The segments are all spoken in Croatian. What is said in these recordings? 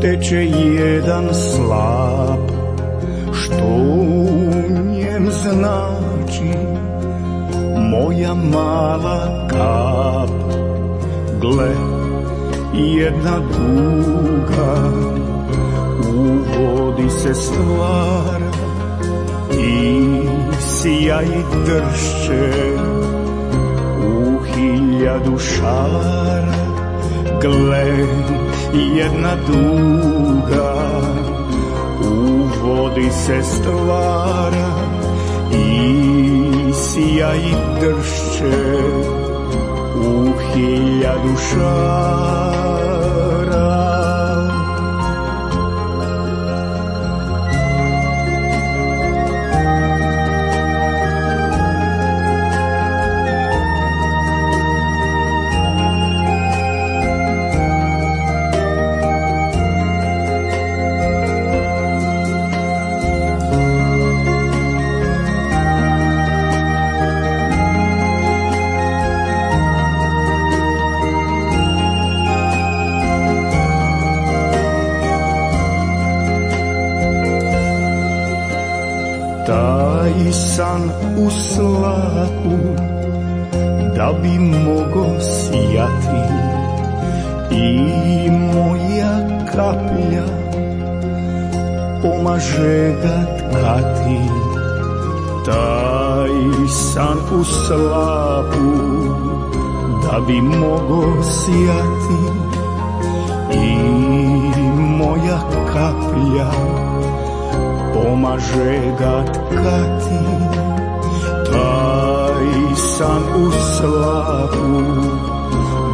Teče jedan slap, što u njem znači moja mala kap. Gle, jedna duga u vodi se stvara i sija i dršće u 1000 šara. Gle, jedna duga u vodi se stvara i sija i dršće u 1000 šara. Taj san u slapu da bi mogo sijati i moja kaplja pomaže ga tkati. Taj san u slapu da bi mogo sijati i moja kaplja pomaže ga tkati. Taj san u slapu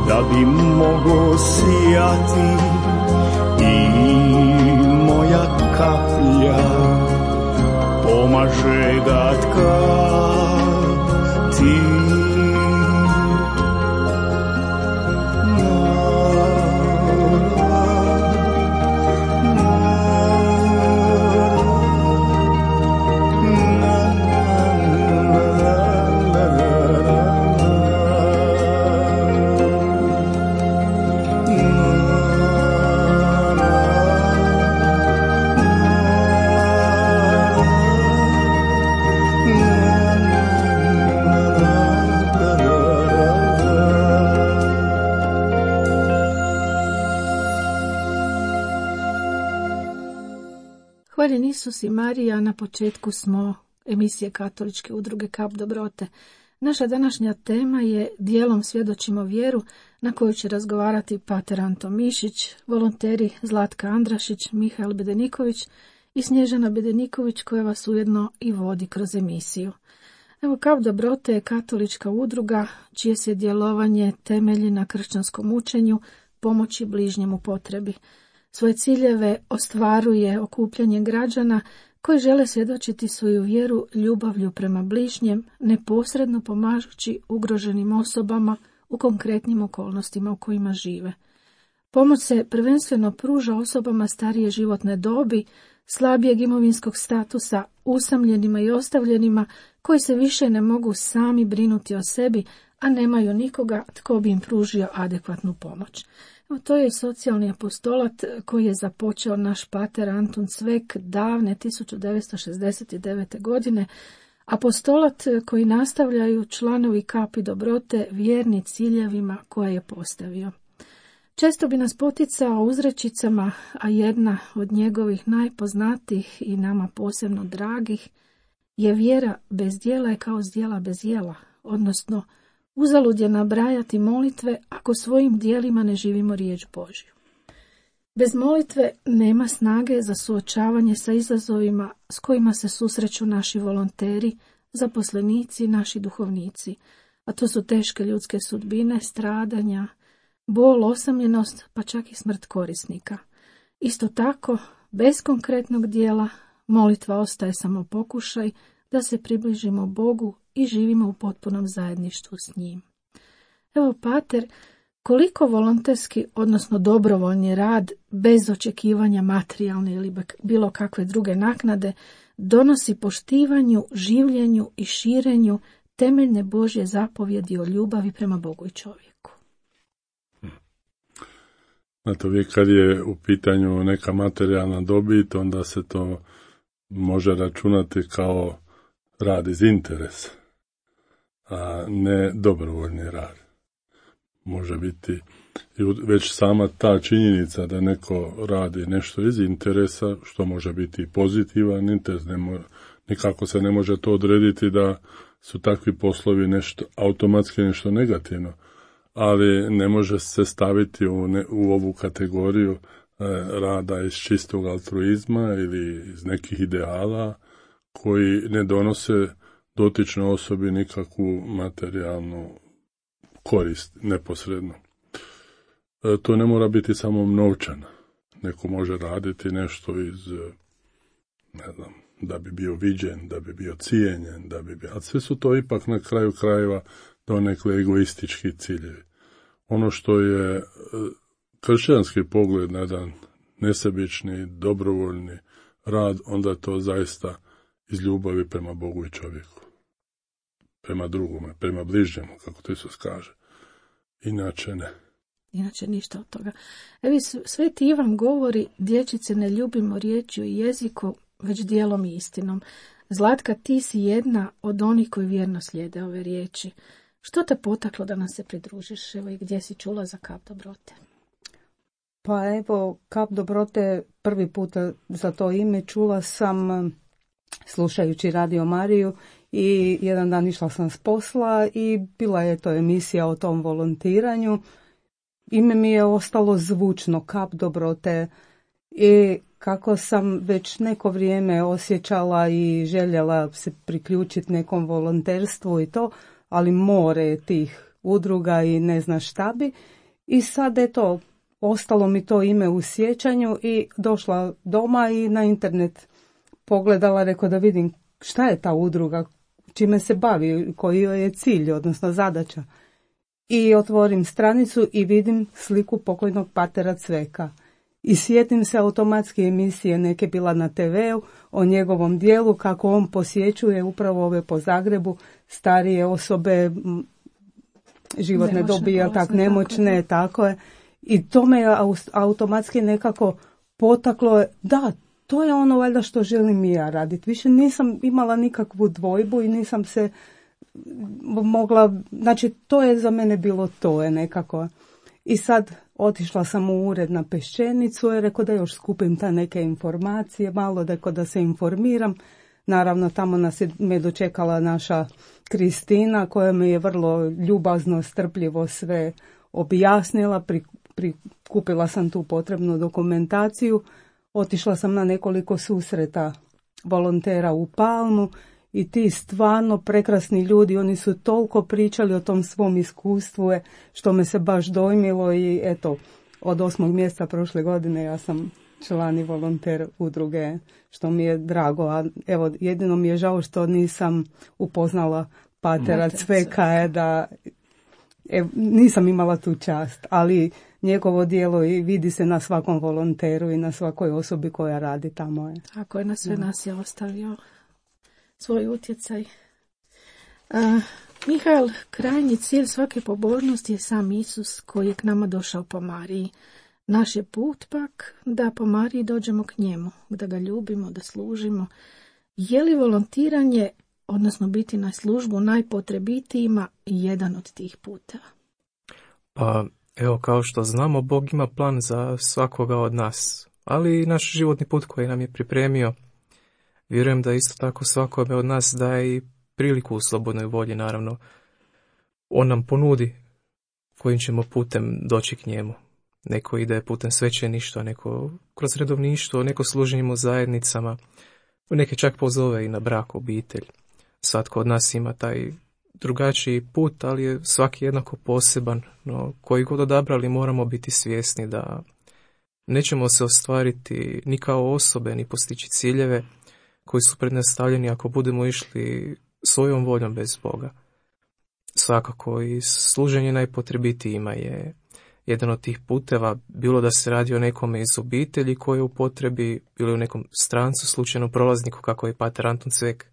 da bi mogo sijati i moja kaplja pomaže ga tkati. Hvaljen Isus i Marija, na početku smo emisije Katoličke udruge Kap dobrote. Naša današnja tema je Dijelom svjedočimo vjeru, na koju će razgovarati pater Anton Mišić, volonteri Zlatka Andrašić, Mihael Bedeniković i Snježana Bedeniković, koja vas ujedno i vodi kroz emisiju. Evo, Kap dobrote je katolička udruga čije se djelovanje temelji na kršćanskom učenju pomoći bližnjem u potrebi. Svoje ciljeve ostvaruje okupljanjem građana koji žele svjedočiti svoju vjeru ljubavlju prema bližnjem, neposredno pomažući ugroženim osobama u konkretnim okolnostima u kojima žive. Pomoć se prvenstveno pruža osobama starije životne dobi, slabijeg imovinskog statusa, usamljenima i ostavljenima koji se više ne mogu sami brinuti o sebi, a nemaju nikoga tko bi im pružio adekvatnu pomoć. To je socijalni apostolat koji je započeo naš pater Antun Cvek davne 1969. godine, apostolat koji nastavljaju članovi Kapi dobrote vjerni ciljevima koje je postavio. Često bi nas poticao uzrečicama, a jedna od njegovih najpoznatijih i nama posebno dragih je vjera bez djela je kao zdjela bez jela, odnosno uzalud je nabrajati molitve ako svojim djelima ne živimo riječ Božju. Bez molitve nema snage za suočavanje sa izazovima s kojima se susreću naši volonteri, zaposlenici, naši duhovnici, a to su teške ljudske sudbine, stradanja, bol, osamljenost, pa čak i smrt korisnika. Isto tako, bez konkretnog dijela, molitva ostaje samo pokušaj da se približimo Bogu i živimo u potpunom zajedništvu s njim. Evo, pater, koliko volonterski, odnosno dobrovoljni rad, bez očekivanja materijalne ili bilo kakve druge naknade, donosi poštivanju, življenju i širenju temeljne Božje zapovjedi o ljubavi prema Bogu i čovjeku. Znate, uvijek kad je u pitanju neka materijalna dobit, onda se to može računati kao rad iz interesa, a ne dobrovoljni rad. Može biti i već sama ta činjenica da neko radi nešto iz interesa, što može biti pozitivan interes, nikako se ne može to odrediti da su takvi poslovi nešto automatski nešto negativno, ali ne može se staviti u ovu kategoriju rada iz čistog altruizma ili iz nekih ideala koji ne donose dotičnoj osobi nikakvu materijalnu korist neposredno. To ne mora biti samo novčana. Neko može raditi nešto iz, ne znam, da bi bio viđen, da bi bio cijenjen, ali sve su to ipak na kraju krajeva donekle egoistički ciljevi. Ono što je kršćanski pogled na jedan nesebični, dobrovoljni rad, onda je to zaista iz ljubavi prema Bogu i čovjeku. Prema drugome, prema bližnjemu, kako to Isus kaže. Inače ne. Inače ništa od toga. Evi, Sveti Ivan govori, dječice, ne ljubimo riječju i jeziku, već dijelom i istinom. Zlatka, ti si jedna od onih koji vjerno slijede ove riječi. Što te potaklo da nam se pridružiš? Evo, i gdje si čula za Kap dobrote? Pa evo, Kap dobrote prvi puta za to ime čula sam slušajući Radio Mariju i jedan dan išla sam s posla i bila je to emisija o tom volontiranju. Ime mi je ostalo zvučno, Kap dobrote, i kako sam već neko vrijeme osjećala i željela se priključiti nekom volonterstvu i to, ali more tih udruga i ne zna šta bi. I sad eto, ostalo mi to ime u sjećanju i došla doma i na internet pogledala, rekao da vidim šta je ta udruga, čime se bavi, koji je cilj, odnosno zadaća. I otvorim stranicu i vidim sliku pokojnog patera Cveka. I sjetim se automatski emisije, neke bila na TV-u, o njegovom dijelu, kako on posjećuje upravo ove po Zagrebu, starije osobe, životne dobi, nemoćne, tako je. I to me je automatski nekako potaklo, da, to je ono valjda što želim i ja raditi. Više nisam imala nikakvu dvojbu i nisam se mogla, znači to je za mene bilo to je nekako. I sad otišla sam u ured na Peščenicu i rekao da još skupim ta neke informacije, malo da se informiram. Naravno, tamo me dočekala naša Kristina koja mi je vrlo ljubazno, strpljivo sve objasnila, prikupila sam tu potrebnu dokumentaciju, otišla sam na nekoliko susreta volontera u Palmu i ti stvarno prekrasni ljudi, oni su toliko pričali o tom svom iskustvu što me se baš dojmilo i eto, od 8. mjeseca prošle godine ja sam član i volonter udruge, što mi je drago, a evo jedino mi je žao što nisam upoznala patera Cveka, da nisam imala tu čast, ali njegovo djelo i vidi se na svakom volonteru i na svakoj osobi koja radi tamo. Tako je, na sve nas je ostavio svoj utjecaj. Mihael, krajnji cilj svake pobožnosti je sam Isus koji je k nama došao po Mariji. Naš je put pak da po Mariji dođemo k njemu, da ga ljubimo, da služimo. Je li volontiranje, odnosno biti na službu najpotrebitijima, jedan od tih puta? Pa evo, kao što znamo, Bog ima plan za svakoga od nas, ali i naš životni put koji nam je pripremio. Vjerujem da isto tako svakome od nas daje i priliku u slobodnoj volji, naravno. On nam ponudi kojim ćemo putem doći k njemu. Neko ide putem svećeništva, neko kroz redovništvo, neko služenjem u zajednicama, neke čak pozove i na brak, obitelj. Svatko od nas ima drugačiji put, ali je svaki jednako poseban. No, koji god odabrali moramo biti svjesni da nećemo se ostvariti ni kao osobe, ni postići ciljeve koji su pred nas stavljeni ako budemo išli svojom voljom bez Boga. Svakako i služenje najpotrebitijima je jedan od tih puteva, bilo da se radi o nekome iz obitelji koji je u potrebi, bilo u nekom strancu, slučajnom prolazniku kako je pater Anton Cvek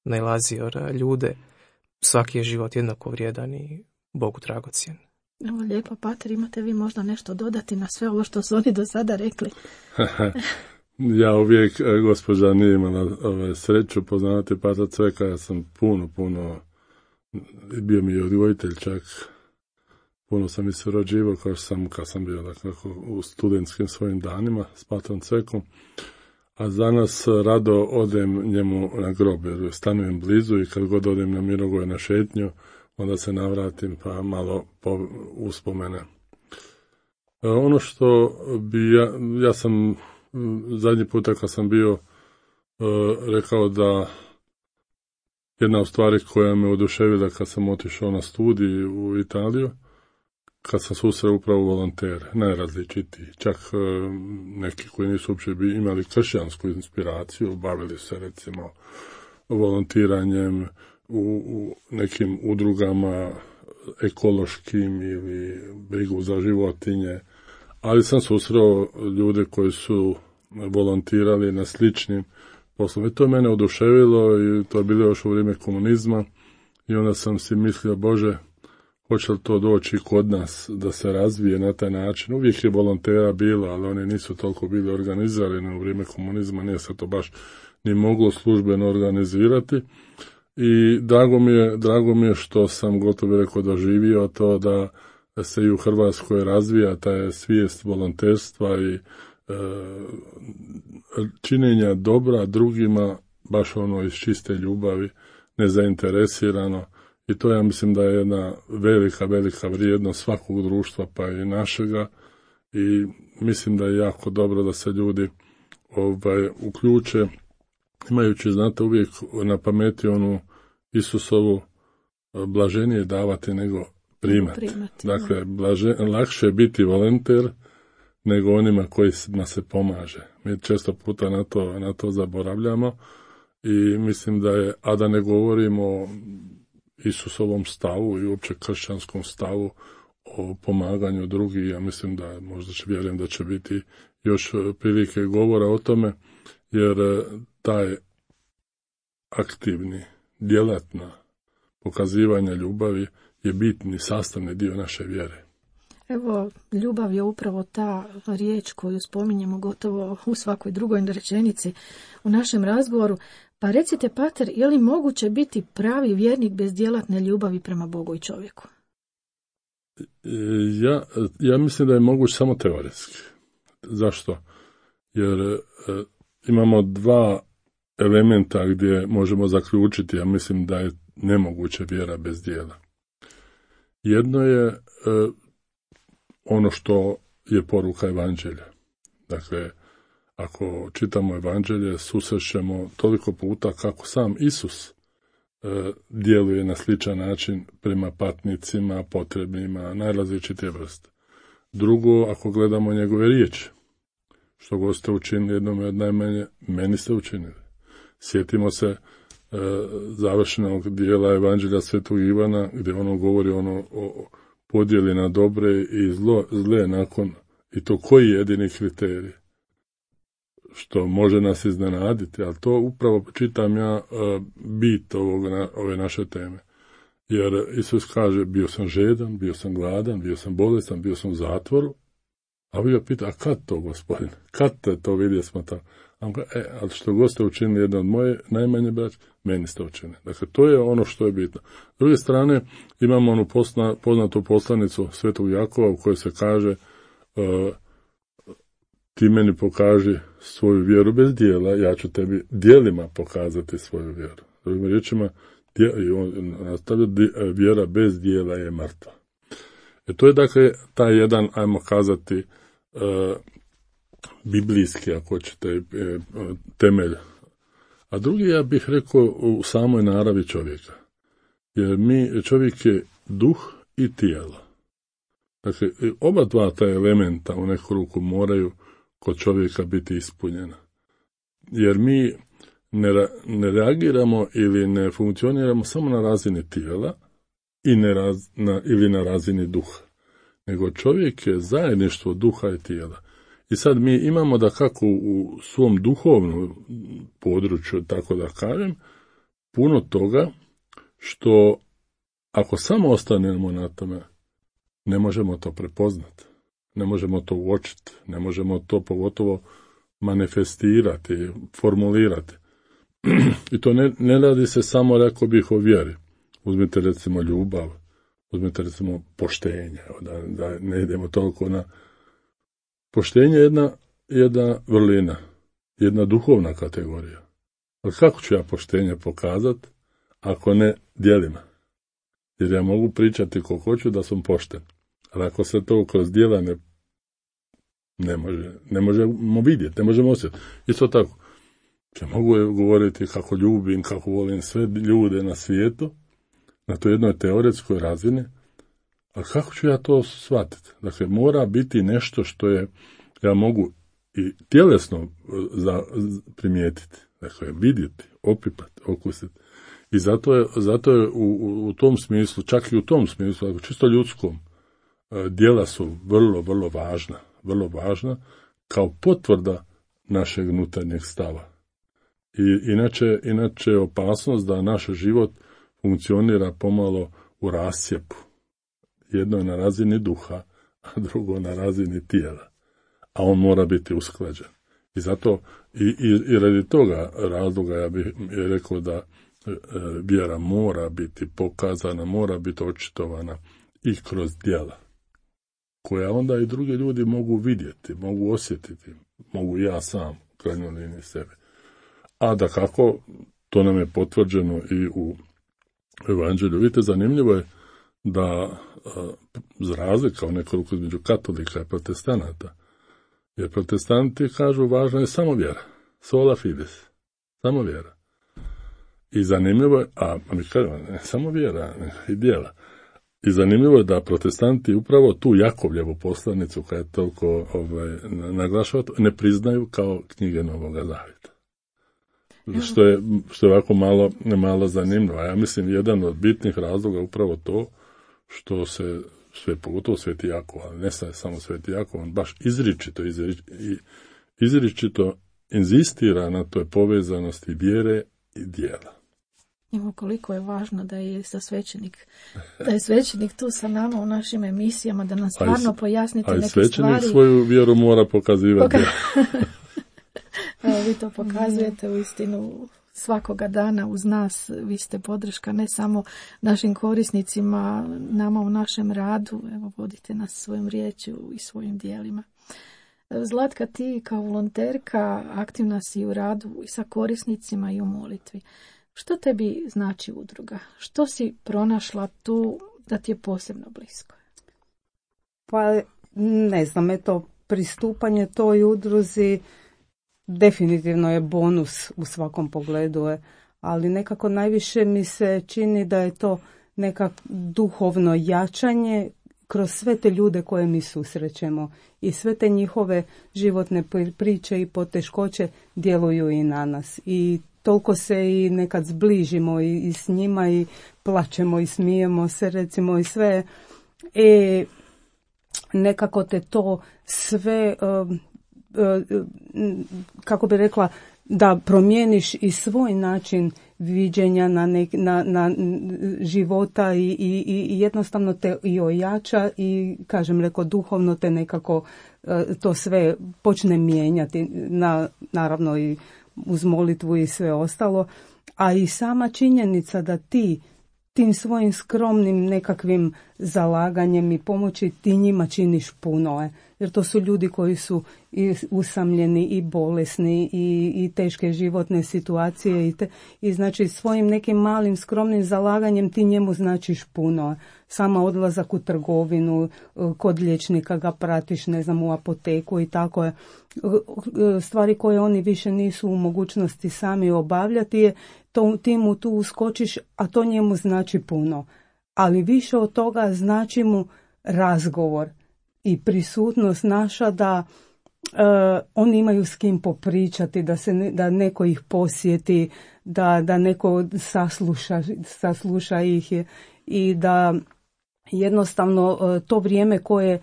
nailazio na ljude. Svaki je život jednako vrijedan i Bogu dragocjen. Evo lijepo, pater, imate vi možda nešto dodati na sve ovo što su oni do sada rekli? Ja uvijek, gospođa nije imala sreću poznavati pater Cveka, ja sam puno, bio mi je odgojitelj čak, puno sam i surađivao kad sam bio dakako, u studentskim svojim danima s patrom Cvekom, a za nas rado odem njemu na grob, jer stanujem blizu i kad god odem na Mirogoj na šetnju, onda se navratim pa malo uspomene. Ono što bi ja sam zadnji puta kad sam bio rekao da jedna od stvari koja me oduševila kad sam otišao na studij u Italiju, kad sam susreo upravo volontere, najrazličitiji, čak neki koji nisu uopće imali kršćansku inspiraciju, bavili se recimo volontiranjem u nekim udrugama ekološkim ili brigu za životinje, ali sam susreo ljude koji su volontirali na sličnim poslovima. To je mene oduševilo i to je bilo još u vrijeme komunizma i onda sam si mislio, Bože, hoće li to doći kod nas da se razvije na taj način. Uvijek je volontera bilo, ali oni nisu toliko bili organizirani u vrijeme komunizma, nije se to baš ni moglo službeno organizirati. I drago mi je što sam gotovo rekao doživio to da se i u Hrvatskoj razvija ta svijest volonterstva i činjenja dobra drugima, baš ono iz čiste ljubavi, nezainteresirano. I to ja mislim da je jedna velika vrijednost svakog društva, pa i našega. I mislim da je jako dobro da se ljudi uključe, imajući, znate, uvijek na pameti onu Isusovu blaženije davati nego primati. Dakle, lakše je biti volonter nego onima kojima se pomaže. Mi često puta na to zaboravljamo i mislim da je, a da ne govorimo o Isusovom stavu i uopće kršćanskom stavu o pomaganju drugih, ja mislim da vjerujem da će biti još prilike govora o tome, jer taj aktivni, djelatna pokazivanje ljubavi je bitni sastavni dio naše vjere. Evo, ljubav je upravo ta riječ koju spominjemo gotovo u svakoj drugoj rečenici u našem razgovoru. Pa recite, pater, je li moguće biti pravi vjernik bez djelatne ljubavi prema Bogu i čovjeku? Ja mislim da je moguće samo teoretski. Zašto? Jer imamo dva elementa gdje možemo zaključiti, ja mislim da je nemoguće vjera bez djela. Jedno je ono što je poruka evanđelja. Dakle, ako čitamo evanđelje, susrećemo toliko puta kako sam Isus djeluje na sličan način prema patnicima, potrebnima, najrazličitije vrste. Drugo, ako gledamo njegove riječi, što god ste učinili jednome od najmanje, meni ste učinili. Sjetimo se završenog dijela evanđelja Svetog Ivana, gdje ono govori o podjeli na dobre i zle nakon, i to koji je jedini kriterij, što može nas iznenaditi, ali to upravo čitam ja bit ove naše teme. Jer Isus kaže, bio sam žedan, bio sam gladan, bio sam bolestan, bio sam u zatvoru, a vi ga pita, a kad to, Gospodin? Kad te to vidje smo tamo? A on kaže, ali što god ste učinili jedno od moje najmanje braće, meni ste učinili. Dakle, to je ono što je bitno. S druge strane, imamo onu poznatu poslanicu Svetog Jakova u kojoj se kaže, ti meni pokaži svoju vjeru bez dijela, ja ću tebi djelima pokazati svoju vjeru. Drugim riječima, vjera bez dijela je mrtva. To je dakle taj jedan, ajmo kazati, biblijski, ako ćete, temelj. A drugi, ja bih rekao, u samoj naravi čovjeka. Jer čovjek je duh i tijelo. Dakle, oba dva ta elementa u neku ruku moraju kod čovjeka biti ispunjena. Jer mi ne reagiramo ili ne funkcioniramo samo na razini tijela ili na razini duha. Nego čovjek je zajedništvo duha i tijela. I sad mi imamo da kako u svom duhovnom području, tako da kažem, puno toga što ako samo ostanemo na tome, ne možemo to prepoznati, ne možemo to uočiti, ne možemo to pogotovo manifestirati, formulirati. I to ne radi se samo, rekao bih, o vjeri. Uzmite recimo ljubav, uzmite recimo poštenje, da ne idemo toliko na... Poštenje je jedna vrlina, jedna duhovna kategorija. Ali kako ću ja poštenje pokazati ako ne djelima? Jer ja mogu pričati koliko hoću da sam pošten. Ali ako se to kroz djela ne možemo vidjeti, ne možemo osjetiti. Isto tako, ja mogu govoriti kako ljubim, kako volim sve ljude na svijetu, na toj jednoj teoretskoj razini, ali kako ću ja to shvatiti? Dakle, mora biti nešto što ja mogu i tjelesno primijetiti, dakle, vidjeti, opipati, okusiti. I zato je u tom smislu, čak i u tom smislu, čisto ljudskom, djela su vrlo, vrlo važna kao potvrda našeg unutarnjeg stava. I inače je opasnost da naš život funkcionira pomalo u rascijepu. Jedno je na razini duha, a drugo na razini tijela. A on mora biti usklađen. I zato, i radi toga razloga ja bih rekao da vjera mora biti pokazana, mora biti očitovana i kroz djela, koja onda i drugi ljudi mogu vidjeti, mogu osjetiti, mogu ja sam, u krajnjoj liniji sebe. A da kako, to nam je potvrđeno i u Evanđelju. Vidite, zanimljivo je da za razlika u nekoliko između katolika i protestanata, jer protestanti kažu važna je samo vjera, sola fides, samo vjera. I zanimljivo je, a mi kažemo, ne samo vjera, i djela. I zanimljivo je da protestanti upravo tu Jakovljevu poslanicu, koja je toliko naglašava, ne priznaju kao knjige Novoga Zavjeta. Što je ovako malo zanimljivo. A ja mislim, jedan od bitnih razloga upravo to što se sve, pogotovo Sveti Jakov, ali ne samo Sveti Jakov, on baš izričito inzistira na toj povezanosti vjere i djela. Evo koliko je važno da je svećenik tu sa nama u našim emisijama, da nam stvarno pojasnite neke stvari. A svećenik svoju vjeru mora pokazivati. Evo, vi to pokazujete u istinu svakoga dana uz nas. Vi ste podrška ne samo našim korisnicima, nama u našem radu. Evo, vodite nas svojom riječju i svojim djelima. Zlatka, ti kao volonterka aktivna si u radu i sa korisnicima i u molitvi. Što tebi znači udruga? Što si pronašla tu da ti je posebno blisko? Pa ne znam, pristupanje toj udruzi definitivno je bonus u svakom pogledu, ali nekako najviše mi se čini da je to nekako duhovno jačanje kroz sve te ljude koje mi susrećemo i sve te njihove životne priče i poteškoće djeluju i na nas. I toliko se i nekad zbližimo i s njima i plačemo i smijemo se, recimo, i sve. Nekako te to sve, kako bi rekla, da promijeniš i svoj način viđenja na života i jednostavno te i ojača i, kažem, duhovno te nekako to sve počne mijenjati, naravno i uz molitvu i sve ostalo, a i sama činjenica da ti tim svojim skromnim nekakvim zalaganjem i pomoći ti njima činiš puno, jer to su ljudi koji su i usamljeni i bolesni i teške životne situacije i znači svojim nekim malim skromnim zalaganjem ti njemu značiš puno. Sama odlazak u trgovinu, kod liječnika ga pratiš, ne znam, u apoteku i tako je. Stvari koje oni više nisu u mogućnosti sami obavljati ti mu tu uskočiš, a to njemu znači puno. Ali više od toga znači mu razgovor i prisutnost naša da oni imaju s kim popričati, da neko ih posjeti, da neko sasluša ih i da jednostavno to vrijeme koje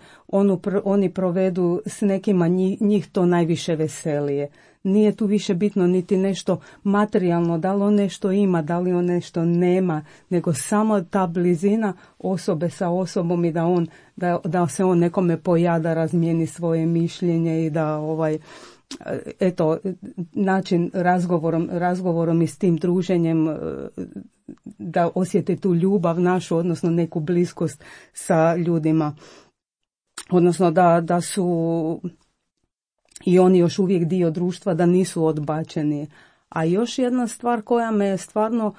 oni provedu s nekima, njih to najviše veselije. Nije tu više bitno niti nešto materijalno, da li on nešto ima, da li on nešto nema, nego samo ta blizina osobe sa osobom i da se on nekome pojada, razmijeni svoje mišljenje i da način razgovorom i s tim druženjem da osjete tu ljubav našu, odnosno neku bliskost sa ljudima. Odnosno da su i oni još uvijek dio društva, da nisu odbačeni. A još jedna stvar koja me stvarno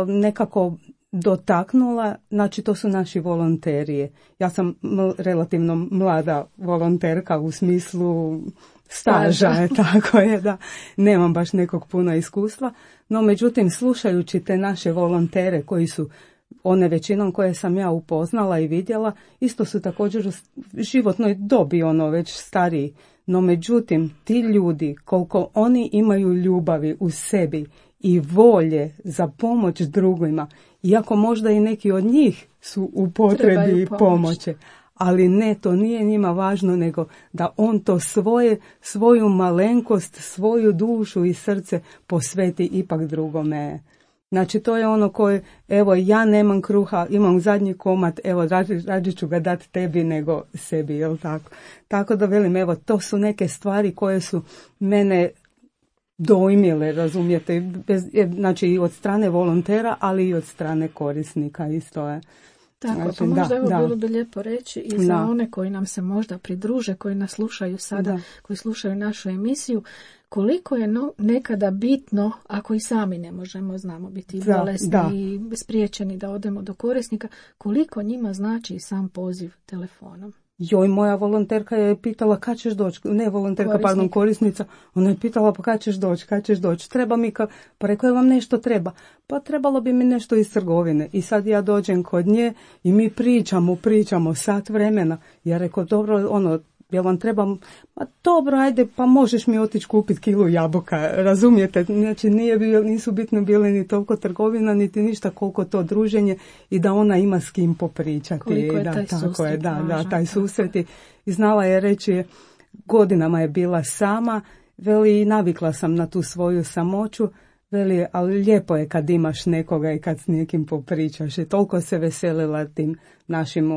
nekako dotaknula, znači to su naši volonterije. Ja sam relativno mlada volonterka u smislu staža, tako je da nemam baš nekog puno iskustva, no međutim slušajući te naše volontere koji su one većinom koje sam ja upoznala i vidjela, isto su također u životnoj dobi već stariji, no međutim ti ljudi koliko oni imaju ljubavi u sebi i volje za pomoć drugima, iako možda i neki od njih su u potrebi pomoći, ali ne, to nije njima važno, nego da on to svoju malenkost, svoju dušu i srce posveti ipak drugome. Znači to je ono koje, evo ja nemam kruha, imam zadnji komad, evo rađe ću ga dati tebi nego sebi, jel tako? Tako da velim, evo to su neke stvari koje su mene dojmile, razumijete, znači i od strane volontera, ali i od strane korisnika isto je. Tako, znači, pa možda bilo bi lijepo reći i za one koji nam se možda pridruže, koji nas slušaju sada, koji slušaju našu emisiju, koliko je nekada bitno, ako i sami ne možemo, znamo biti bolesni i spriječeni da odemo do korisnika, koliko njima znači i sam poziv telefonom. Joj, moja volonterka je pitala kad ćeš doći, korisnica, ona je pitala pa kad ćeš doći, treba mi, pa rekao je vam nešto treba, pa trebalo bi mi nešto iz trgovine i sad ja dođem kod nje i mi pričamo sat vremena, ja rekao dobro, jel vam treba, pa dobro, ajde, pa možeš mi otići kupiti kilu jabuka, razumijete, znači nisu bitno bile ni toliko trgovina, niti ništa koliko to druženje i da ona ima s kim popričati. Koliko je taj susret. Taj susret i znala je reći, godinama je bila sama, veli, navikla sam na tu svoju samoću, veli, ali lijepo je kad imaš nekoga i kad s nekim popričaš i toliko se veselila tim našim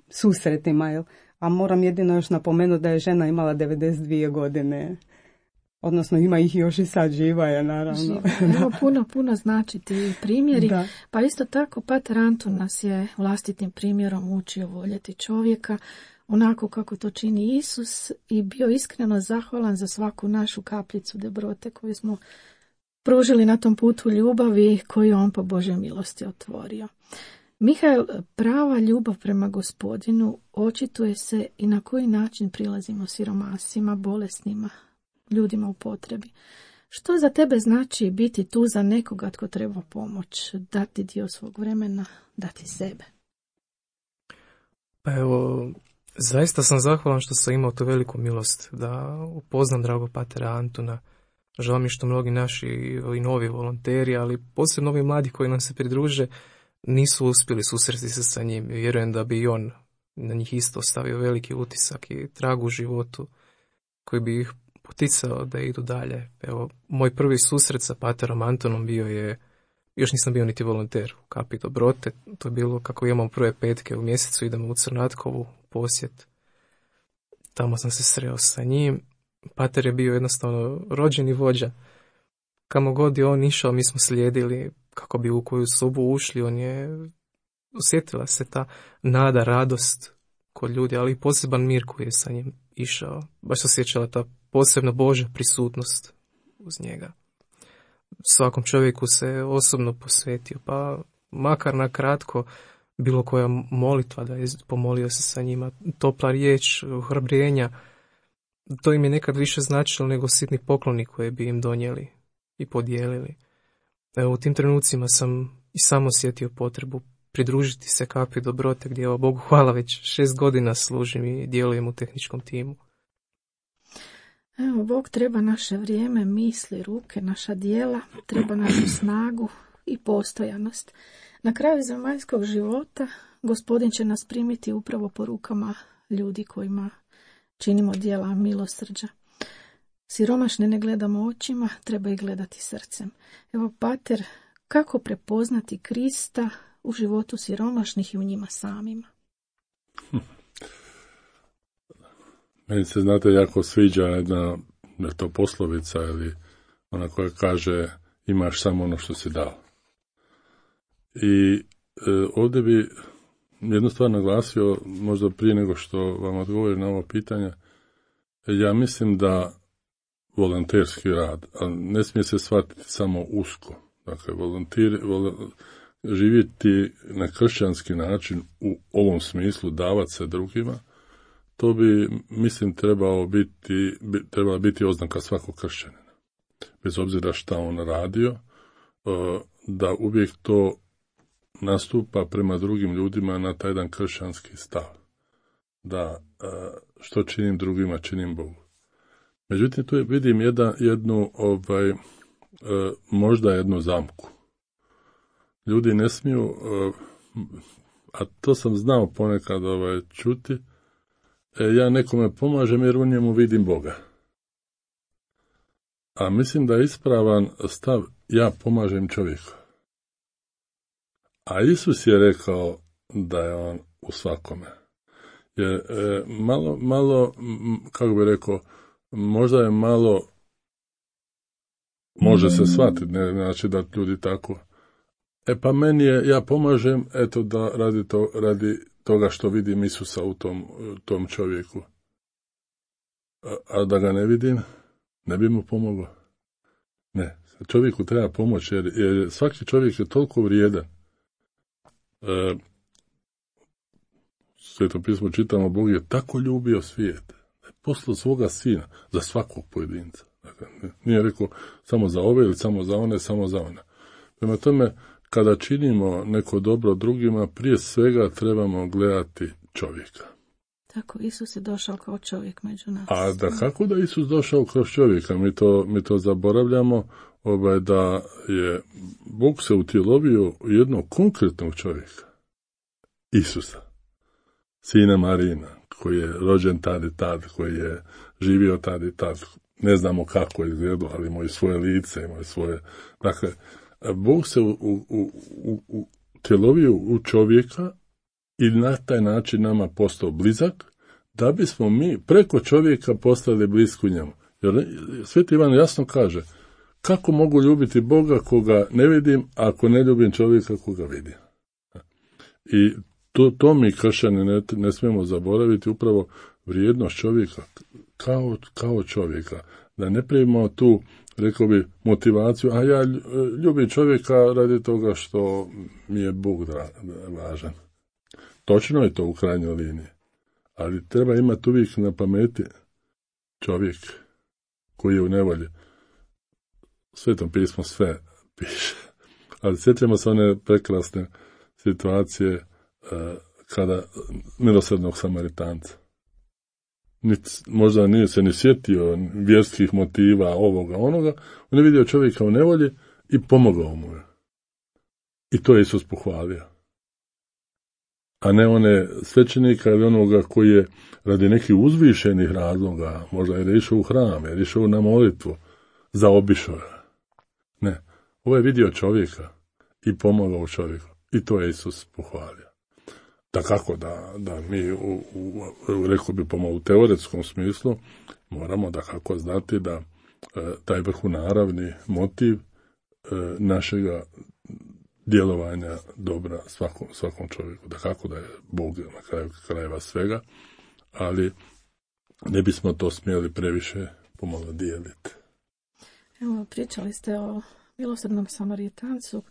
susretima, jel? A moram jedino još napomenuti da je žena imala 92 godine. Odnosno ima ih još i sad, živa je naravno. Evo puno znači ti primjeri. Da. Pa isto tako Pater Antun nas je vlastitim primjerom učio voljeti čovjeka onako kako to čini Isus i bio iskreno zahvalan za svaku našu kapljicu dobrote koju smo pružili na tom putu ljubavi koju on po Božjoj milosti otvorio. Mihael, prava ljubav prema Gospodinu očituje se i na koji način prilazimo siromasima, bolesnima, ljudima u potrebi. Što za tebe znači biti tu za nekoga tko treba pomoć, dati dio svog vremena, dati sebe? Pa evo, zaista sam zahvalan što sam imao tu veliku milost da upoznam dragog Patera Antuna. Žao mi što mnogi naši i novi volonteri, ali posebno ovi mladi koji nam se pridruže, nisu uspjeli susresti se sa njim. Vjerujem da bi i on na njih isto ostavio veliki utisak i trag u životu koji bi ih poticao da idu dalje. Evo, moj prvi susret sa Paterom Antonom bio je, još nisam bio niti volonter u Kapi Dobrote, to je bilo kako imamo prve petke u mjesecu, idemo u Crnatkovu posjet. Tamo sam se sreo sa njim. Pater je bio jednostavno rođeni vođa. Kamo god je on išao, mi smo slijedili kako bi u koju sobu ušli. On je, osjetila se ta nada, radost kod ljudi, ali i poseban mir koji je sa njim išao. Baš se osjećala ta posebna Božja prisutnost uz njega. Svakom čovjeku se osobno posvetio, pa makar na kratko bilo koja molitva da je pomolio se sa njima, topla riječ, ohrabrenja, to im je nekad više značilo nego sitni pokloni koje bi im donijeli i podijelili. Evo, u tim trenucima sam i sam osjetio potrebu pridružiti se kapi dobrote, gdje, evo, Bogu hvala, već 6 godina služim i djelujem u tehničkom timu. Evo, Bog treba naše vrijeme, misli, ruke, naša djela, treba našu snagu i postojanost. Na kraju zemaljskog života Gospodin će nas primiti upravo po rukama ljudi kojima činimo djela milosrđa. Siromašne ne gledamo očima, treba ih gledati srcem. Evo, pater, kako prepoznati Krista u životu siromašnih i u njima samima? Meni se, znate, jako sviđa jedna to poslovica ili ona koja kaže imaš samo ono što si dao. I ovdje bi jednu stvar naglasio, možda prije nego što vam odgovorim na ovo pitanje. Ja mislim da volonterski rad, a ne smije se shvatiti samo usko. Dakle, živjeti na kršćanski način u ovom smislu, davati se drugima, to bi, mislim, trebala biti oznaka svakog kršćanina. Bez obzira šta on radio, da uvijek to nastupa prema drugim ljudima na taj jedan kršćanski stav. Da što činim drugima, činim Bogu. Međutim, tu vidim možda jednu zamku. Ljudi ne smiju, a to sam znao ponekad čuti, ja nekome pomažem jer u njemu vidim Boga. A mislim da je ispravan stav, ja pomažem čovjeku. A Isus je rekao da je on u svakome. Jer malo, kako bi rekao, možda je malo, može se shvatiti, ne znači da ljudi tako. Pa meni je, ja pomažem, eto da radi toga što vidim Isusa u tom čovjeku. A da ga ne vidim, ne bi mu pomogao. Ne, čovjeku treba pomoći, jer svaki čovjek je toliko vrijedan. Sveto pismo čitamo, Bog je tako ljubio svijet, da je poslao svoga sina za svakog pojedinca. Dakle, nije rekao samo za ove ili samo za one, samo za one. Prema tome, kada činimo neko dobro drugima, prije svega trebamo gledati čovjeka. Tako, Isus je došao kao čovjek među nas. A da kako da Isus došao kroz čovjeka? Mi to zaboravljamo, da je Bog se utjelovio u jednog konkretnog čovjeka. Isusa, sina Marina, koji je rođen tad i tad, koji je živio tad i tad. Ne znamo kako je izgledalo, ali imao i svoje lice, imao i svoje... Dakle, Bog se utjelovio u čovjeka i na taj način nama postao blizak, da bismo mi preko čovjeka postali bliski njemu. Jer Sveti Ivan jasno kaže, kako mogu ljubiti Boga koga ne vidim, ako ne ljubim čovjeka koga vidim. I to mi kršćani ne smijemo zaboraviti, upravo vrijednost čovjeka kao čovjeka. Da ne primimo tu, rekao bi, motivaciju, a ja ljubim čovjeka radi toga što mi je Bog važan. Točno je to u krajnjoj liniji, ali treba imati uvijek na pameti čovjek koji je u nevolji. Svetom pismo sve piše, ali sjećamo se one prekrasne situacije kada milosrdnog Samaritanca. Možda nije se ni sjetio vjerskih motiva, ovoga, onoga, on je vidio čovjeka u nevolji i pomogao mu je. I to je Isus pohvalio. A ne one svećenika ili onoga koji je radi nekih uzvišenih razloga, možda je išao u hram, je išao na molitvu, zaobišao je. Ne, ovo je vidio čovjeka i pomogao čovjeku. I to je Isus pohvalio. Da kako da mi, rekao bi u teoretskom smislu, moramo da kako znati da taj vrhunaravni motiv našega djelovanja dobra svakom čovjeku. Da kako da je Bog na kraju krajeva svega, ali ne bismo to smjeli previše pomalo dijeliti. Evo, pričali ste o milosrdnom Samaritancu.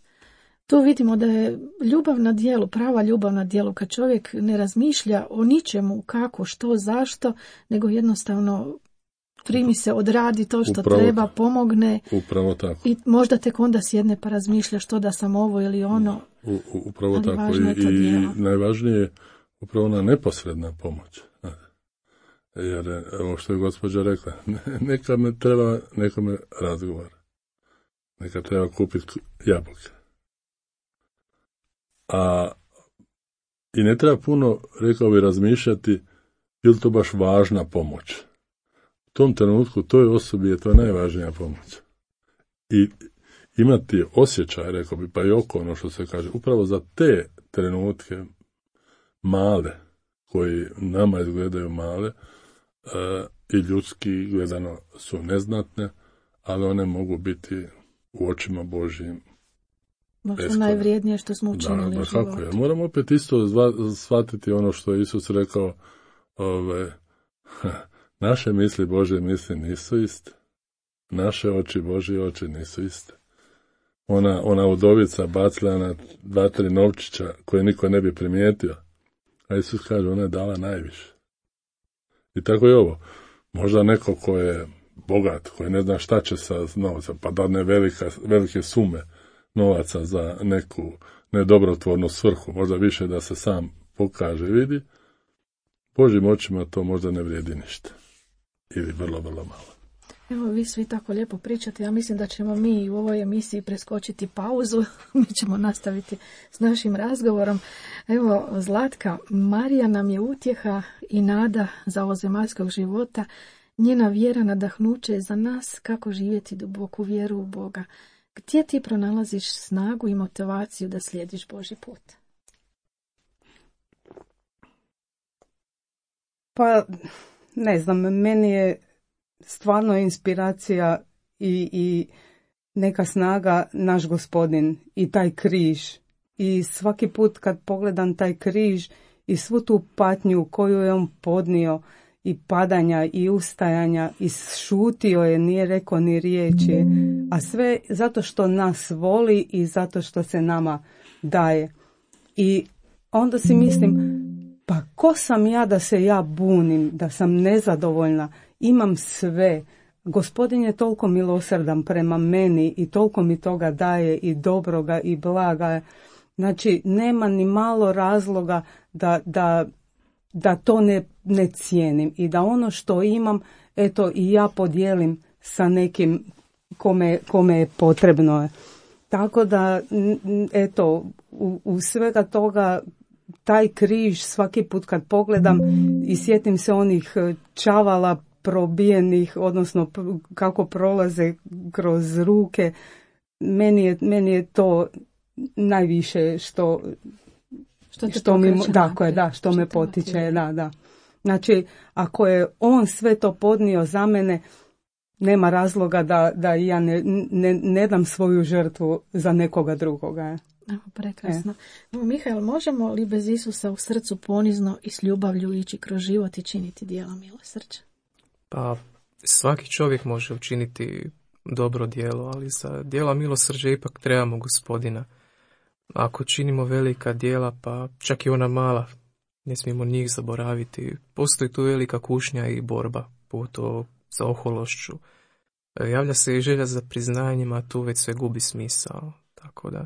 Tu vidimo da je ljubav na djelu, prava ljubav na djelu, kad čovjek ne razmišlja o ničemu, kako, što, zašto, nego jednostavno primi se, odradi to što Upravo treba, tako. pomogne. Upravo tako. I možda tek onda sjedne pa razmišlja što da sam ovo ili ono. Upravo Ali tako. važno je to I djelo. najvažnije je upravo ona neposredna pomoć. Jer ovo što je gospođa rekla, neka me razgovara. Neka treba kupiti jabuke. I ne treba puno, rekao bi, razmišljati je li to baš važna pomoć. U tom trenutku toj osobi je to najvažnija pomoć. I imati osjećaj, rekao bi, pa i oko ono što se kaže, upravo za te trenutke male, koji nama izgledaju male, i ljudski gledano su neznatne, ali one mogu biti u očima Božjim Možda najvrijednije što smo učinili u životu. Kako je. Moramo opet isto shvatiti ono što je Isus rekao, naše misli, Božje misli nisu iste. Naše oči, Božje oči nisu iste. Ona udovica bacila na 2-3 novčića koje niko ne bi primijetio, a Isus kaže, ona je dala najviše. I tako je ovo. Možda neko ko je bogat, koji ne zna šta će sa novcem, pa dadne velike sume novaca za neku nedobrotvornu svrhu, možda više da se sam pokaže i vidi, Božjim očima to možda ne vrijedi ništa. Ili vrlo, vrlo malo. Evo, vi svi tako lijepo pričate. Ja mislim da ćemo mi u ovoj emisiji preskočiti pauzu. Mi ćemo nastaviti s našim razgovorom. Evo, Zlatka, Marija nam je utjeha i nada za ovozemaljskog života. Njena vjera nadahnuće je za nas kako živjeti duboku vjeru u Boga. Gdje ti pronalaziš snagu i motivaciju da slijediš Božji put? Pa, ne znam, meni je stvarno inspiracija i neka snaga naš Gospodin i taj križ. I svaki put kad pogledam taj križ i svu tu patnju koju je on podnio, i padanja i ustajanja, i šutio je, nije rekao ni riječi, a sve zato što nas voli i zato što se nama daje. I onda si mislim, pa ko sam ja da se ja bunim, da sam nezadovoljna, imam sve. Gospodin je toliko milosrdan prema meni i toliko mi toga daje i dobroga i blaga. Znači, nema ni malo razloga da to ne cijenim i da ono što imam, eto, i ja podijelim sa nekim kome je potrebno. Tako da, eto, u svega toga, taj križ svaki put kad pogledam i sjetim se onih čavala probijenih, odnosno kako prolaze kroz ruke, meni je to najviše što me potiče, da. Znači, ako je on sve to podnio za mene, nema razloga da ja ne dam svoju žrtvu za nekoga drugoga. Evo, prekrasno. Mihael, možemo li bez Isusa u srcu ponizno i s ljubavlju ići kroz život i činiti djela milosrđa? Pa, svaki čovjek može učiniti dobro djelo, ali za djela milosrđa ipak trebamo Gospodina. Ako činimo velika djela, pa čak i ona mala, ne smijemo njih zaboraviti. Postoji tu velika kušnja i borba, pogotovo za ohološću. Javlja se i želja za priznanjem, a tu već sve gubi smisao. Tako da,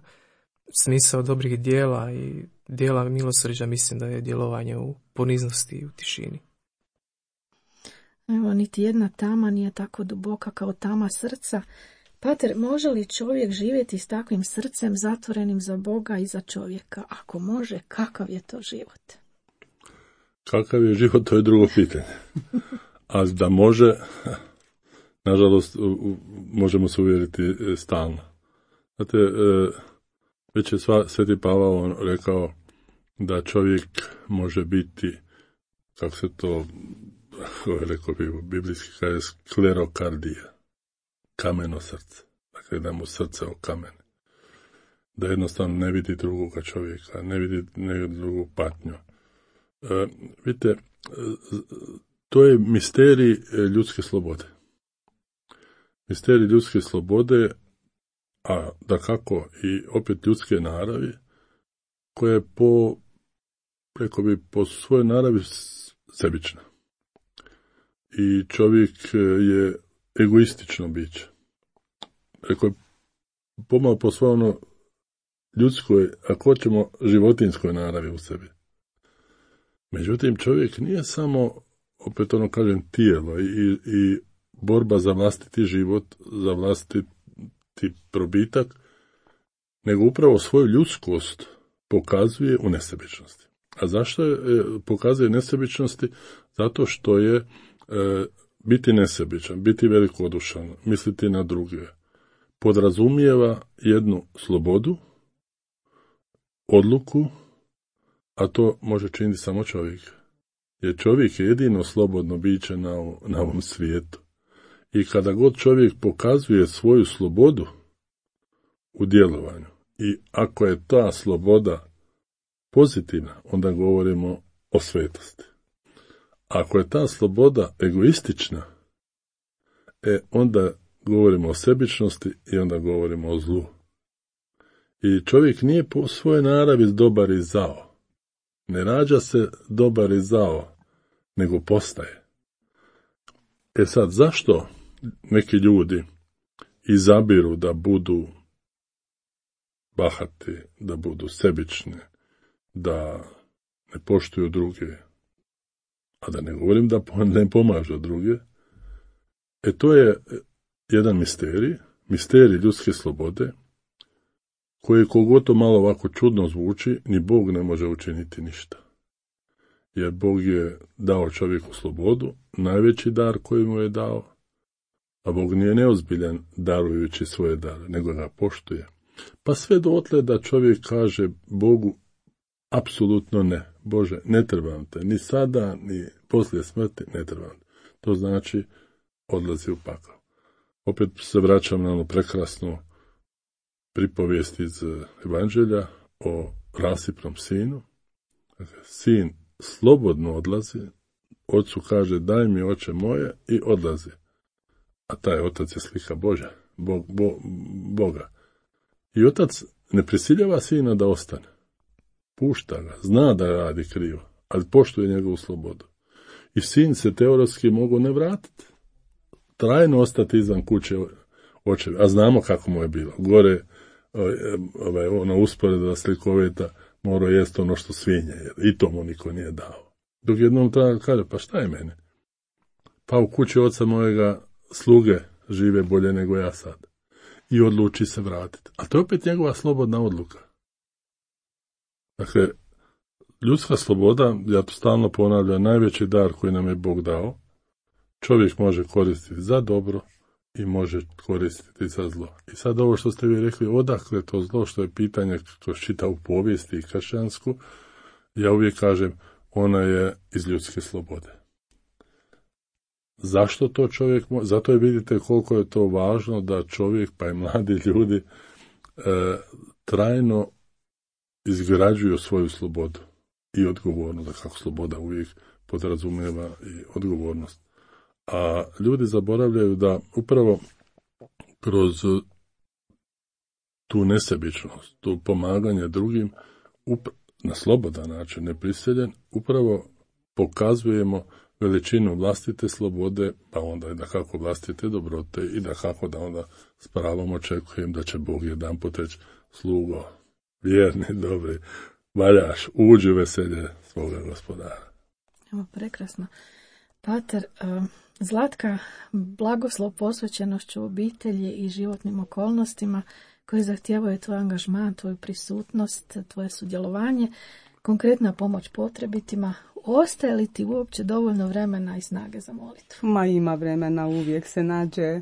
smisao dobrih djela i djela milosrđa mislim da je djelovanje u poniznosti i u tišini. Evo, niti jedna tama nije tako duboka kao tama srca. Pater, može li čovjek živjeti s takvim srcem zatvorenim za Boga i za čovjeka? Ako može, kakav je to život? Kakav je život, to je drugo pitanje. A da može, nažalost, možemo se uvjeriti stalno. Znate, već je Sveti Pavao rekao da čovjek može biti, kako se to rekao bi u biblijski kaže, sklerokardija, kameno srce. Dakle, da mu srce okamene. Da jednostavno ne vidi drugoga čovjeka, ne vidi drugu patnju. Vidite, to je misterij ljudske slobode. Misterij ljudske slobode, a dakako i opet ljudske naravi, koja je po svojoj naravi sebična. i čovjek je egoistično biće. Rekao je pomalo po svoj ono ljudskoj, ako hoćemo životinskoj naravi u sebi. Međutim, čovjek nije samo, opet ono kažem, tijelo i borba za vlastiti život, za vlastiti probitak, nego upravo svoju ljudskost pokazuje u nesebičnosti. A zašto pokazuje nesebičnosti? Zato što je biti nesebičan, biti velikodušan, misliti na druge, podrazumijeva jednu slobodu, odluku, a to može činiti samo čovjek. Jer čovjek je jedino slobodno biće na ovom svijetu. I kada god čovjek pokazuje svoju slobodu u djelovanju, i ako je ta sloboda pozitivna, onda govorimo o svetosti. Ako je ta sloboda egoistična, onda govorimo o sebičnosti i onda govorimo o zlu. I čovjek nije po svojoj naravi dobar i zao. Ne rađa se dobar i zao, nego postaje. Sad, zašto neki ljudi izabiru da budu bahati, da budu sebični, da ne poštuju druge, a da ne govorim da ne pomažu druge? To je jedan misterij ljudske slobode, koji koliko to malo ovako čudno zvuči, ni Bog ne može učiniti ništa. Jer Bog je dao čovjeku slobodu, najveći dar koji mu je dao, a Bog nije neozbiljan darujući svoje dare, nego ga poštuje. Pa sve dotle da čovjek kaže Bogu apsolutno ne. Bože, ne trebam te, ni sada, ni poslije smrti, ne trebam te. To znači odlazi u pakao. Opet se vraćam na onu prekrasnu pripovijest iz Evanđelja o rasipnom sinu. Sin slobodno odlazi, ocu kaže daj mi oče moje i odlazi. A taj otac je slika Božja, Boga. I otac ne prisiljava sina da ostane. Pušta ga, zna da radi krivo, ali poštuje njegovu slobodu. I sin se teoretski mogu ne vratiti. Trajno ostati izvan kuće očevi. A znamo kako mu je bilo. Gore ona usporeda slikovita morao jesti ono što svinje. I to mu niko nije dao. Dok jednom treba kaže, pa šta je mene? Pa u kući oca mojega sluge žive bolje nego ja sad. I odluči se vratiti. A to je opet njegova slobodna odluka. Dakle, ljudska sloboda, ja to stalno ponavljam, najveći dar koji nam je Bog dao, čovjek može koristiti za dobro i može koristiti za zlo. I sad ovo što ste vi rekli, odakle to zlo, što je pitanje kroz čitavu povijesti i kršćansku, ja uvijek kažem, ona je iz ljudske slobode. Zašto to čovjek može? Zato je vidite koliko je to važno da čovjek, pa i mladi ljudi, trajno izgrađuju svoju slobodu i odgovornost, da kako sloboda uvijek podrazumijeva i odgovornost. A ljudi zaboravljaju da upravo kroz tu nesebičnost, tu pomaganje drugim, na slobodan način, neprisiljen, upravo pokazujemo veličinu vlastite slobode, pa onda i da kako vlastite dobrote i da kako da onda s pravom očekujem da će Bog jedanput reći slugo, vjerni, dobri, valjaš, uđi u veselje svoga gospodara. Evo, prekrasno. Pater, Zlatka, blagoslov posvećenošću obitelji i životnim okolnostima koji zahtijevaju tvoj angažman, tvoju prisutnost, tvoje sudjelovanje, konkretna pomoć potrebitima. Ostaje li ti uopće dovoljno vremena i snage za molitvu? Ma ima vremena, uvijek se nađe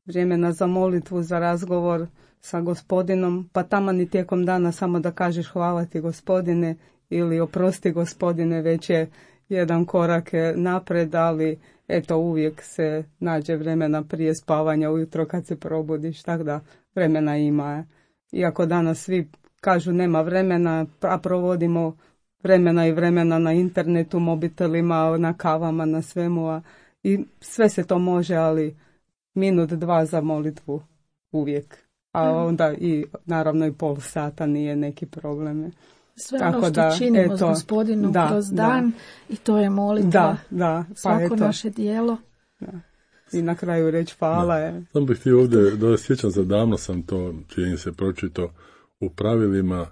vremena za molitvu, za razgovor sa Gospodinom, pa taman i tijekom dana samo da kažeš hvala ti Gospodine ili oprosti Gospodine, već je jedan korak napred, ali eto uvijek se nađe vremena prije spavanja ujutro kad se probudiš, tako da vremena ima. Iako danas svi kažu nema vremena, a provodimo vremena i vremena na internetu, mobitelima, na kavama, na svemu, i sve se to može, ali minut, dva za molitvu uvijek. A onda i naravno i pol sata nije neki problem. Sve tako ono što činimo s Gospodinom kroz dan i to je molitva. Da, pa svako naše dijelo. I na kraju reći hvala. Sam bih htio ovdje, sjećam se, davno sam to, čini se, pročitao u pravilima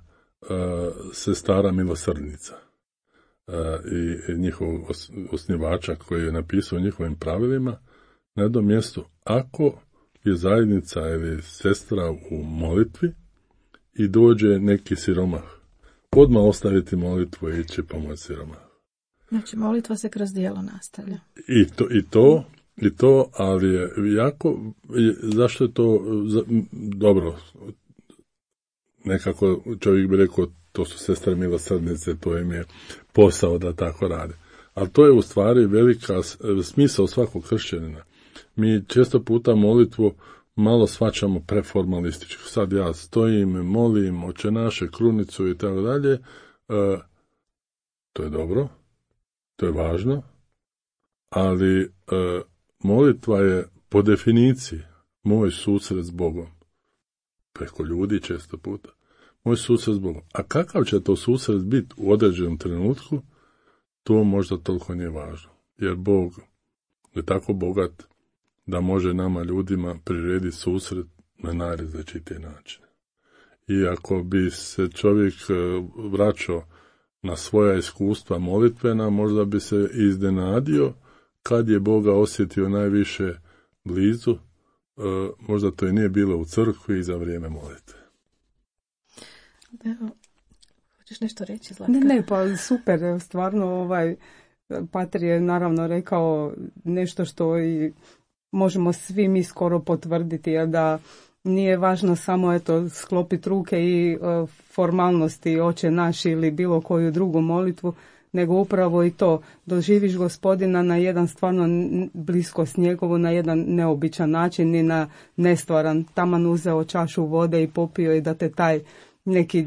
sestara milosrdnica i njihovog osnivača koji je napisao u njihovim pravilima na jednom mjestu: ako je zajednica ili sestra u molitvi i dođe neki siromah, odmah ostaviti molitvu i ići pomoć siromah. Znači, molitva se kroz djelo nastavlja. I to, ali je jako, zašto je to dobro, nekako čovjek bi rekao, to su sestre milosrdnice, to im je posao da tako rade. Ali to je u stvari velika smisao svakog kršćanina. Mi često puta molitvu malo shvaćamo preformalistički. Sad ja stojim, molim, Oče naše, krunicu i tako dalje. To je dobro, to je važno, ali molitva je po definiciji moj susret s Bogom. Preko ljudi često puta. Moj susret s Bogom. A kakav će to susret biti u određenom trenutku, to možda toliko nije važno. Jer Bog je tako bogat da može nama ljudima prirediti susret na najrazličitije načine. I ako bi se čovjek vraćao na svoja iskustva molitvena, možda bi se iznenadio kad je Boga osjetio najviše blizu, možda to i nije bilo u crkvi i za vrijeme molitve. Evo, hoćeš nešto reći, Zlatka? Ne, pa super, stvarno Pater je naravno rekao nešto što i možemo svi mi skoro potvrditi, jer da nije važno samo sklopiti ruke i formalnosti Oče naš ili bilo koju drugu molitvu, nego upravo i to, doživiš Gospodina na jedan stvarno bliskost njegovu, na jedan neobičan način i na nestvaran. Taman uzeo čašu vode i popio i da te taj neki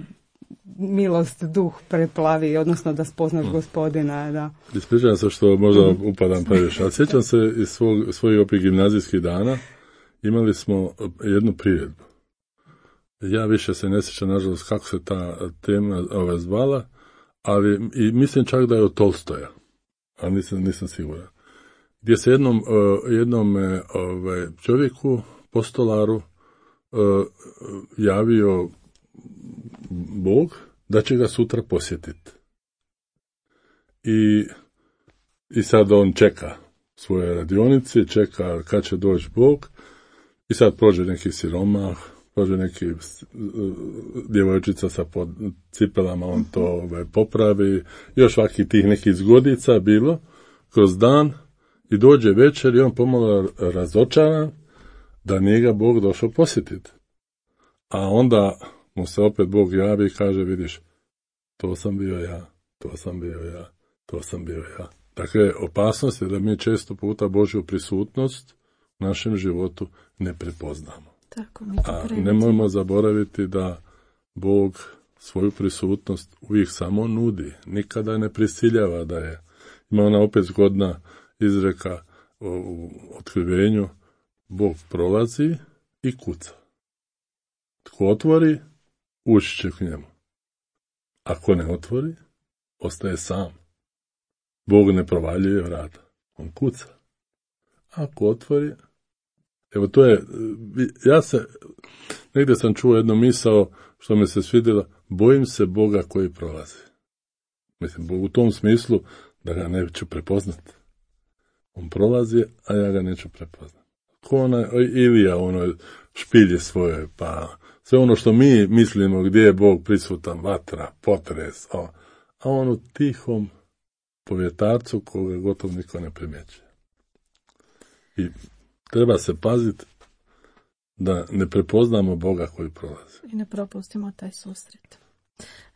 milost duh preplavi, odnosno da spoznaš Gospodina. Da. Ispričavam se što možda upadam previše, ali sjećam se iz svojih opet gimnazijskih dana, imali smo jednu priredbu. Ja više se ne sjećam, nažalost, kako se ta tema zvala, ali i mislim čak da je od Tolstoja, ali nisam siguran. Gdje se jednom čovjeku, postolaru, javio Bog da će ga sutra posjetiti. I sad on čeka svoje radionice, čeka kad će doći Bog, i sad prođe neki siromah, prođe neki djevojčica sa cipelama, on to popravi, još svaki tih nekih zgodica bilo kroz dan, i dođe večer i on pomalo razočaran da nije ga Bog došao posjetiti. A onda mu se opet Bog javi i kaže: vidiš, to sam bio ja, to sam bio ja, to sam bio ja. Dakle, opasnost je da mi često puta Božju prisutnost u našem životu ne prepoznamo. Tako, a nemojmo zaboraviti da Bog svoju prisutnost uvijek samo nudi, nikada ne prisiljava da je. Ima ona opet zgodna izreka u otkrivenju: Bog prolazi i kuca. Tko otvori, ući će k njemu. Ako ne otvori, ostaje sam. Bog ne provaljuje vrata, on kuca. Ako otvori, evo to je, negdje sam čuo jednu misao što mi se svidjela: bojim se Boga koji prolazi. Mislim, Bog u tom smislu da ga neću prepoznati. On prolazi, a ja ga neću prepoznati. Ko ona Ilija, špilje svoje, pa sve ono što mi mislimo gdje je Bog prisutan, vatra, potres, a on u tihom povjetarcu koga gotovo niko ne primjećuje. I treba se paziti da ne prepoznamo Boga koji prolazi. I ne propustimo taj susret.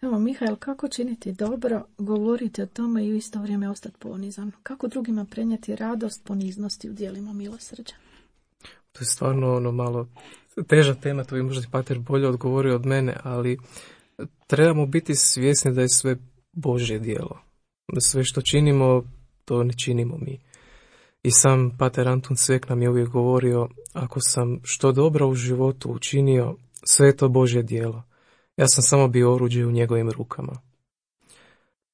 Evo, Mihael, kako činiti dobro, govoriti o tome i u isto vrijeme ostati ponizan? Kako drugima prenijeti radost poniznosti u djelima milosrđa? To je stvarno malo teža tema, to bi možda Pater bolje odgovorio od mene, ali trebamo biti svjesni da je sve Božje djelo. Da sve što činimo, to ne činimo mi. I sam Pater Antun Cvek nam je uvijek govorio: ako sam što dobro u životu učinio, sve je to Božje djelo. Ja sam samo bio oruđe u njegovim rukama.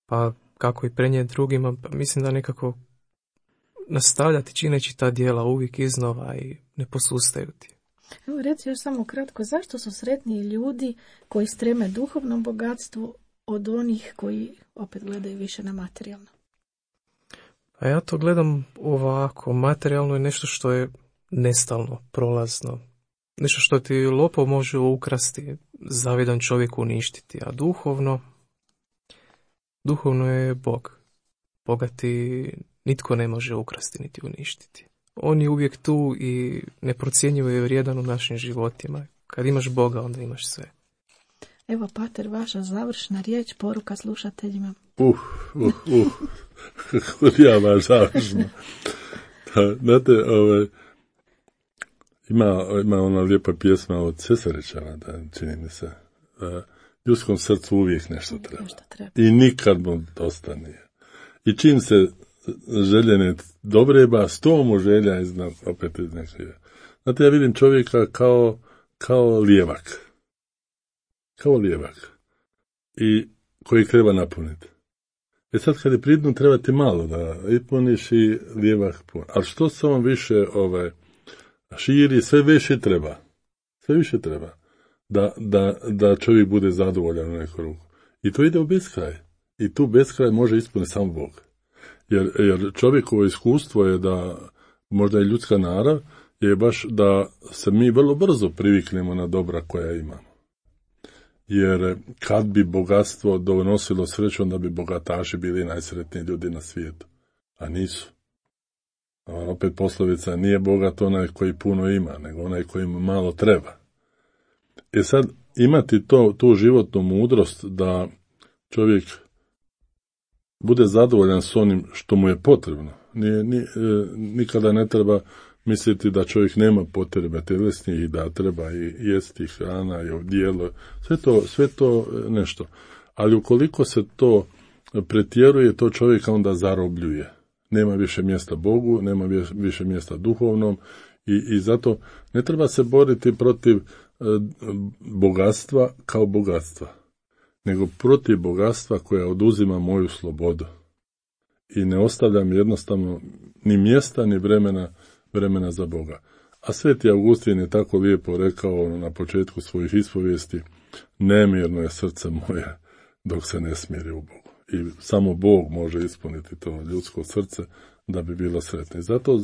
Pa kako i prenijeti drugima, pa mislim da nekako nastavljati čineći ta djela uvijek iznova i ne posustaju ti. Evo, reci još samo kratko, zašto su sretniji ljudi koji streme duhovnom bogatstvu od onih koji opet gledaju više na materijalno? A ja to gledam ovako, materijalno je nešto što je nestalno, prolazno. Nešto što ti lopov može ukrasti, zavidan čovjek uništiti, a duhovno je Bog. Boga ti nitko ne može ukrasti niti uništiti. On je uvijek tu i neprocjenjivo je vrijedan u našim životima. Kad imaš Boga, onda imaš sve. Evo, pater, vaša završna riječ, poruka slušateljima. Kako ja baš završno. Znate, ima ona lijepa pjesma od Cesarića, da čini mi se. Ljudskom srcu uvijek nešto treba. I nikad mu dosta nije. I čim se željene dobreba, 100 mu želja opet iz nekog. Znate, ja vidim čovjeka kao lijevak. Kao lijevak. I koji treba napuniti. Sad kad je pridnu, treba ti malo da ispuniš i lijevak pun. Ali što se on više širi, sve više treba. Sve više treba. Da čovjek bude zadovoljan u neku ruku. I to ide u beskraj. I tu beskraj može ispuniti samo Bog. Jer čovjekovo iskustvo je da, možda i ljudska narav, je baš da se mi vrlo brzo priviknemo na dobra koja imamo. Jer kad bi bogatstvo donosilo sreću, onda bi bogataši bili najsretniji ljudi na svijetu. A nisu. Opet poslovica, nije bogat onaj koji puno ima, nego onaj koji mu malo treba. Sad, imati tu životnu mudrost da čovjek bude zadovoljan s onim što mu je potrebno. Nikada ne treba misliti da čovjek nema potrebe tjelesnih i da treba i jesti hrana i odijelo. Sve to nešto. Ali ukoliko se to pretjeruje, to čovjeka onda zarobljuje. Nema više mjesta Bogu, nema više mjesta duhovnom i zato ne treba se boriti protiv bogatstva kao bogatstva, nego protiv bogatstva koja oduzima moju slobodu. I ne ostavljam jednostavno ni mjesta, ni vremena za Boga. A Sveti Augustin je tako lijepo rekao na početku svojih ispovijesti, nemirno je srce moje dok se ne smiri u Bogu. I samo Bog može ispuniti to ljudsko srce da bi bilo sretno. Zato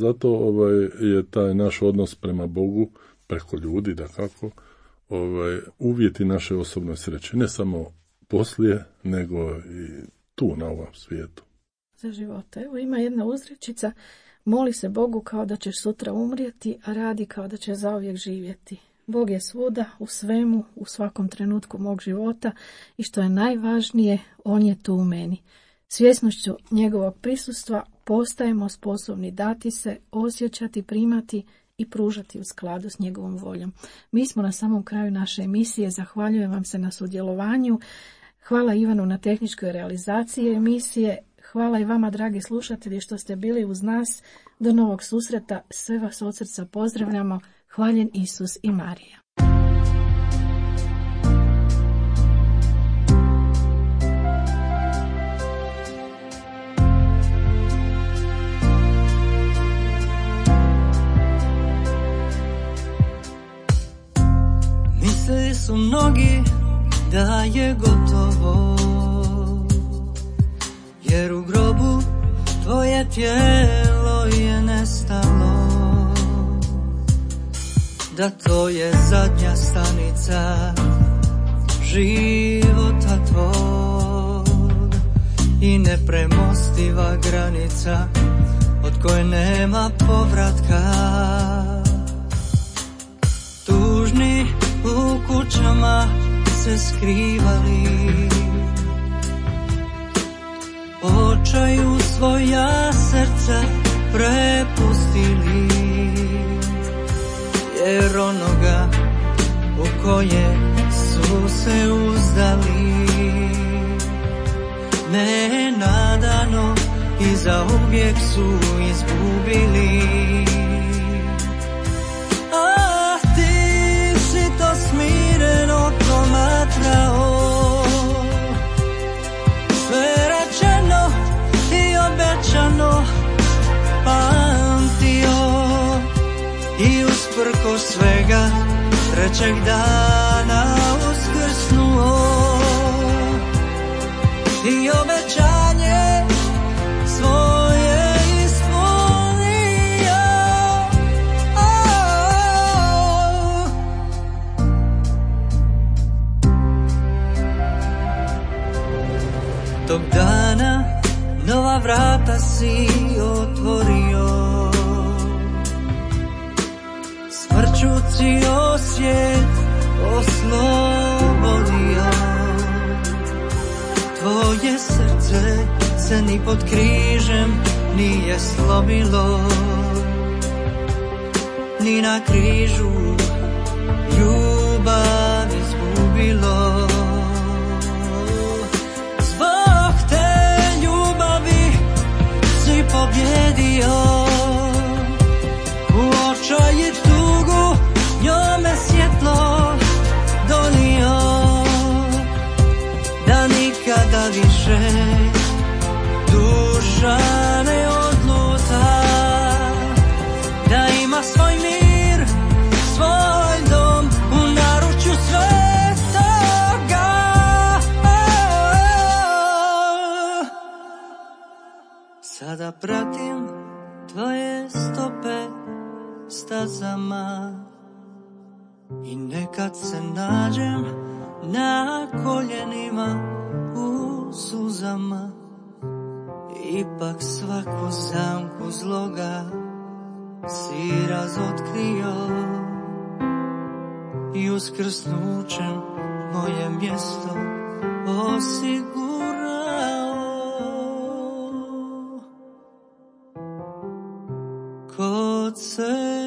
je taj naš odnos prema Bogu, preko ljudi, dakako, uvjeti naše osobne sreće. Ne samo poslije, nego i tu na ovom svijetu. Za života. Evo ima jedna uzrečica, moli se Bogu kao da ćeš sutra umrijeti, a radi kao da će zauvijek živjeti. Bog je svuda, u svemu, u svakom trenutku mog života i što je najvažnije, on je tu u meni. Svjesnošću njegovog prisustva postajemo sposobni dati se, osjećati, primati i pružati u skladu s njegovom voljom. Mi smo na samom kraju naše emisije, zahvaljujem vam se na sudjelovanju. Hvala Ivanu na tehničkoj realizaciji emisije. Hvala i vama, dragi slušatelji, što ste bili uz nas. Do novog susreta, sve vas od srca pozdravljamo. Hvaljen Isus i Marija. Mislili su mnogi da je gotovo, jer u grobu tvoje tijelo je nestalo, da to je zadnja stanica života tvog i nepremostiva granica od koje nema povratka. Tužni u kućama se skrivali, očaju svoja srca prepustili, jer onoga u koje su se uzdali nenadano i zauvijek su izgubili. A ti si to smireno promatrao, sve rečeno i obećano, pa svega trećeg dana uskrsnuo i obećanje svoje ispunio. Tog dana nova vrata si otvorio, smrću cijel svijet oslobodio. Tvoje srce se ni pod križem nije slomilo, ni na križu ljubav izgubilo. Zbog te ljubavi si pobjedio, u očaj i tugu njome svjetlo donio, da nikada više duša ne odluta, da ima svoj mir, svoj dom u naručju svetoga. Sada pratim tvoje stope stazama i nekad se nađem na koljenima u suzama. Ipak svaku zamku zloga si razotkrio i uskrsnućem moje mjesto osigurao. Kod se